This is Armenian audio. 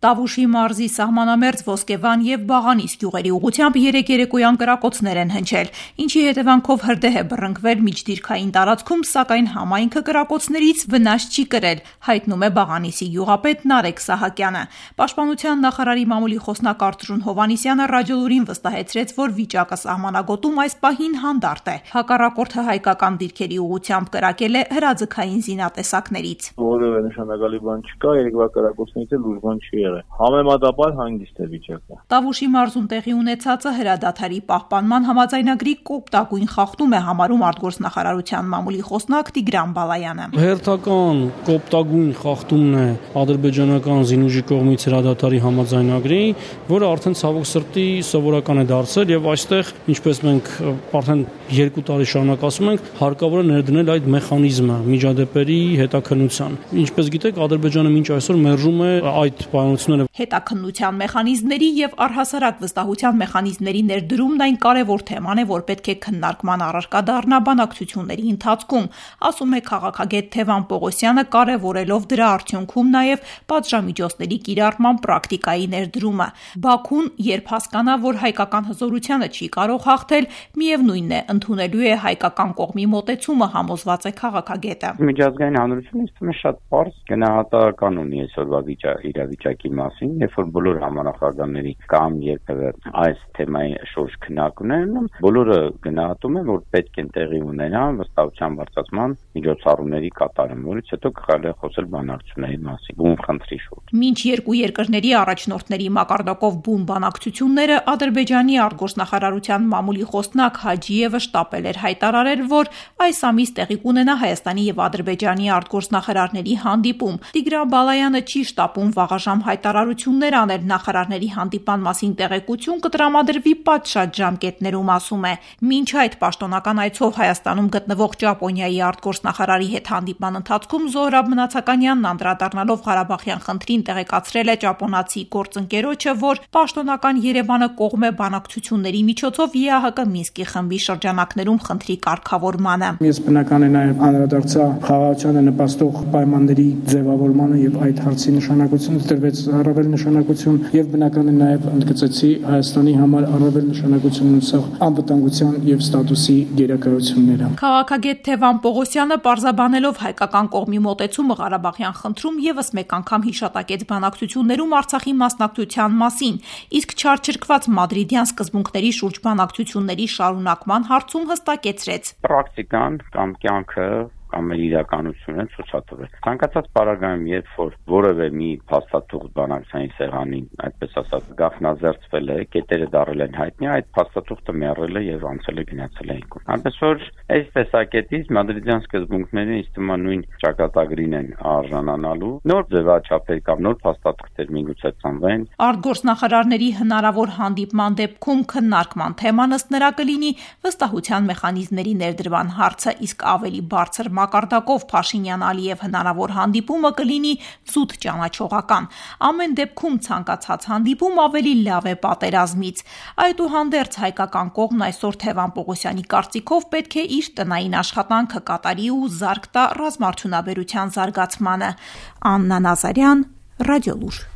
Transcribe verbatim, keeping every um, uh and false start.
Տավուշի մարզի սահմանամերձ Ոսկեվան և Բաղանիս գյուղերի ուղղությամբ երեկ երեկոյան կրակոցներ են հնչել, ինչի հետևանքով հրդեհ է բռնկվել միջդիրքային տարածքում, սակայն համայնքը կրակոցներից վնաս չի կրել, հայտնում է Բաղանիսի գյուղապետ Նարեկ Սահակյանը։ Պաշտպանության նախարարի մամուլի խոսնակ Արթուր Հովհաննիսյանը ռադիոլուրին վստահեցրեց, որ վիճակը սահմանագոտում այս պահին հանդարտ է։ Հակառակորդը հայկական դիրքերի ուղղությամբ կրակել է հրաձգային զինատեսակներից։ Որևէ նշանակալի բան չկա, երկվա կրակոցներից էլ ուժ բան չի եղել։ Համեմատաբար հանգիստ է վիճակը։ Տավուշի մարզում տեղի ունեցածը հրադադարի պահպանման համաձայնագրի կոպտագույն խախտում է համարում արտգործնախարարության մամուլի խոսնակ Տիգրան Բալայանը։ Հերթական կոպտագույն խախտումն է ադրբեջանական զինուժի կողմից հրադադարի համաձայնագրի, որը արդեն ցավոք սրտի սովորական է դարձել եւ այստեղ, ինչպես մենք արդեն երկու տարի շարունակ ասում ենք, հարկավոր է ներդնել այդ մեխանիզմը միջադեպերի հետաքննության։ Ինչպես գիտեք, Ադրբեջանը մինչ այսօր մերժում է այդ պայմանությունները։ Հետաքննության մեխանիզմների եւ առհասարակ վստահության մեխանիզմների ներդրումն այն կարևոր թեման է, որ պետք է քննարկման առարկա դառնա բանակցությունների ընթացքում, ասում է քաղաքագետ Թևան Պողոսյանը, կարևորելով դրա արդյունքում նաեւ պատժամիջոցների կիրառման պրակտիկայի ներդրումը։ Բաքուն, երբ հասկանա, որ հայկական հզորությանը չի կարող հաղթել, միևնույնն է, ընդունելու է հայկական կողմի մոտեցումը, համոզված է քաղաքագետը։ Միջազգային հանրությունը ինձ թվում է շատ պարզ գնահատական ունի այսօրվա իրավիճակի մասին, երբ որ բոլոր համանախագահների կամ երբևէ այս թեմայի շուրջ քննարկումներ ունեն, բոլորը գնահատում են, որ պետք է տեղի ունենան վստահության բարձրացման միջոցառումների կատարում, որից հետո կարելի է խոսել բանակցությունների մասին, բուն խնդրի շուրջ։ Մինչ երկու երկրների առաջնորդների մակարդակով բուն բանակցությունները Ադրբեջանի արտգործնախարարության մամուլի խոսնակ Հաջիևը շտապել էր հայտարարել, որ այս ամիս տեղի կունենա Հայաստանի եւ Ադրբեջանի արտգործնախարարների հանդիպում։ Տիգրան Բալայանը չի շտապում վաղաժամ հայտարարություններ անել, նախարարների հանդիպան մասին տեղեկություն կտրամադրվի պատշաճ ժամկետներում, ասում է։ Մինչ այդ պաշտոնական այցով Հայաստանում գտնվող Ճապոնիայի արտգործնախարարի հետ հանդիպման ընթացքում Զոհրաբ Մնացականյանն անդրադառնալով Ղարաբաղյան խնդրին տեղեկացրել է ճապոնացի գործընկերոջը, որ պաշտոնական Երևանը կողմ է բանակցությունների միջոցով ԵԱՀԿ Մինսկի խմբի շրջանակներում խնդրի կարգավորմանը։ Ես բնական է նաև անդրադարձա խաղաղությանը նպաստող պայմանների ձևավորմանը եւ այդ հարցի նշանակությունը տրվեց առավել նշանակություն եւ բնական է նաև ընդգծեցի Հայաստանի համար առավել նշանակություն ունեցող անվտանգության եւ ստատուսի գերակայությունները։ Քաղաքագետ Թևան Պողոսյանը պարզաբանելով հայկական կողմի մոտեցումը Ղարաբաղյան խնդրում եւս մեկ անգամ հիշատակեց բանակցություններում Արցախի մասնակցության մասին, իսկ չարչրկված մադրիդյան սկզբունքների շուրջ բանակցությունների շարունակման հարցում հստակեցրեց. Պրակտիկան կամ կյանքը կամ իրականությունը ցուցադրել։ Ցանկացած պարագայում, երբ որ որևէ մի փաստաթուղթ բանակցային սեղանին, այդպես ասած, գաղտնազերծվել է, կետերը դարել են հայտնի, այդ փաստաթուղթը մեռել է եւ անցել է գնացել է ինքն։ Այնպես որ այս տեսակետից մադրիդյան սկզբունքները ինձ թվում է նույն ճակատագրին են արժանանալու։ Նոր ձևաչափեր կամ նոր փաստաթղթեր միգուցե ծնվեն։ Արտգործնախարարների հնարավոր հանդիպման դեպքում քննարկման թեման ըստ նրա կլինի վստահության մեխանիզմների ներդրման հարցը, իսկ ավելի բարձր մակարդակով Փաշինյան-Ալիև հնարավոր հանդիպումը կլինի զուտ ճանաչողական։ Ամեն դեպքում ցանկացած հանդիպում ավելի լավ է պատերազմից։ Այդուհանդերձ հայկական կողմն այսօր Թևան Պողոսյանի կարծիքով պետք է իր տնային աշխատանքը կատարի ու զարկ տա ռազմաարդյունաբերության զարգացմանը։ Աննա Նազարյան, Ռադիոլուր։